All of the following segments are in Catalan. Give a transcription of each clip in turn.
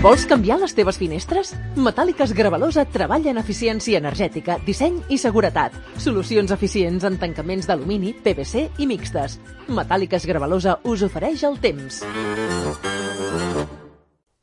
Vols canviar les teves finestres? Metàl·liques Gravalosa treballa en eficiència energètica, disseny i seguretat. Solucions eficients en tancaments d'alumini, PVC i mixtes. Metàl·liques Gravalosa us ofereix el temps.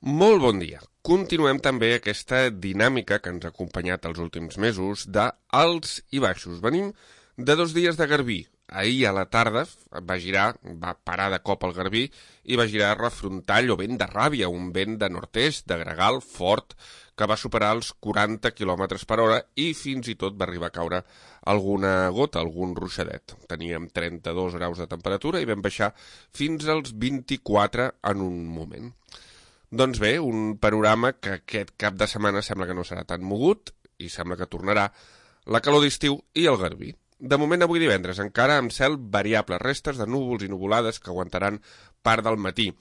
Molt bon dia. Continuem també aquesta dinàmica que ens ha acompanyat els últims mesos d'alts i baixos. Venim de 2 dies de garbí. Ahir a la tarda va parar de cop el garbí i va girar refrontall o vent de ràbia, un vent de nord-est, de gregal, fort, que va superar els 40 km per hora i fins i tot va arribar a caure alguna gota, algun ruixadet. Teníem 32 graus de temperatura i vam baixar fins als 24 en un moment. Doncs bé, un panorama que aquest cap de setmana sembla que no serà tan mogut i sembla que tornarà la calor d'estiu i el garbí. De moment, avui divendres, encara amb cel variable, restes de núvols i nuvolades que aguantaran part del matí.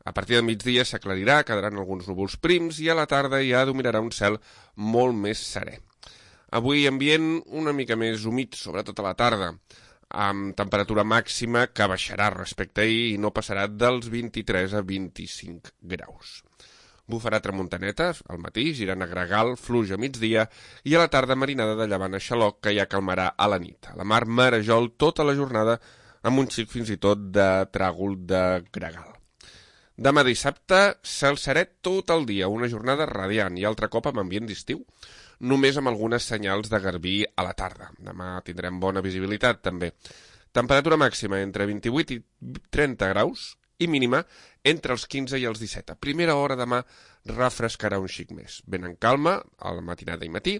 A partir del migdia s'aclarirà, quedaran alguns núvols prims i a la tarda ja dominarà un cel molt més serè. Avui ambient una mica més humit, sobretot a la tarda, amb temperatura màxima que baixarà respecte a ahir i no passarà dels 23 a 25 graus. Bufarà tramuntaneta al matí, girant a gregal, fluix a migdia i a la tarda marinada de llevant a xaloc que ja calmarà a la nit. A la mar marejol tota la jornada amb un xic fins i tot de tràgol de gregal. Demà dissabte, cel serè tot el dia, una jornada radiant i altre cop amb ambient d'estiu, només amb algunes senyals de garbí a la tarda. Demà tindrem bona visibilitat també. Temperatura màxima entre 28 i 30 graus i mínima entre els 15 i els 17. A primera hora demà refrescarà un xic més. Ben en calma, a la matinada i matí,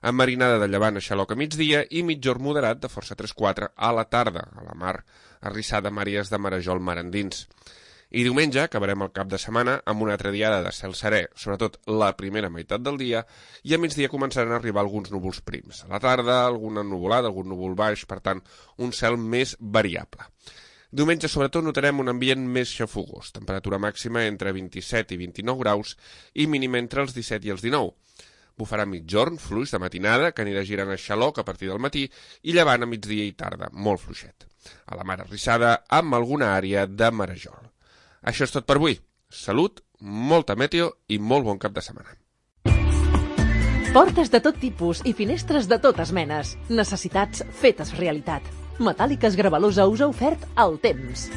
amb marinada de llevant a xaloc a migdia i mitjor moderat de força 3-4 a la tarda, a la mar arrissada Màries de Marejol mar endins. I diumenge acabarem el cap de setmana amb una altra diada de cel serè, sobretot la primera meitat del dia, i a migdia començaran a arribar alguns núvols prims. A la tarda, alguna nuvolada, algun núvol baix, per tant, un cel més variable. Diumenge, sobretot, notarem un ambient més xafogós, temperatura màxima entre 27 i 29 graus i mínima entre els 17 i els 19. Bufarà mitjorn, fluix de matinada, que anirà girant a xaloc a partir del matí i llevant a migdia i tarda, molt fluixet. A la mar arrissada, amb alguna àrea de marejol. Això és tot per avui. Salut, molta meteo i molt bon cap de setmana. Portes de tot tipus i finestres de totes menes. Necessitats fetes realitat. Metàl·liques Gravalosa us ha ofert el temps.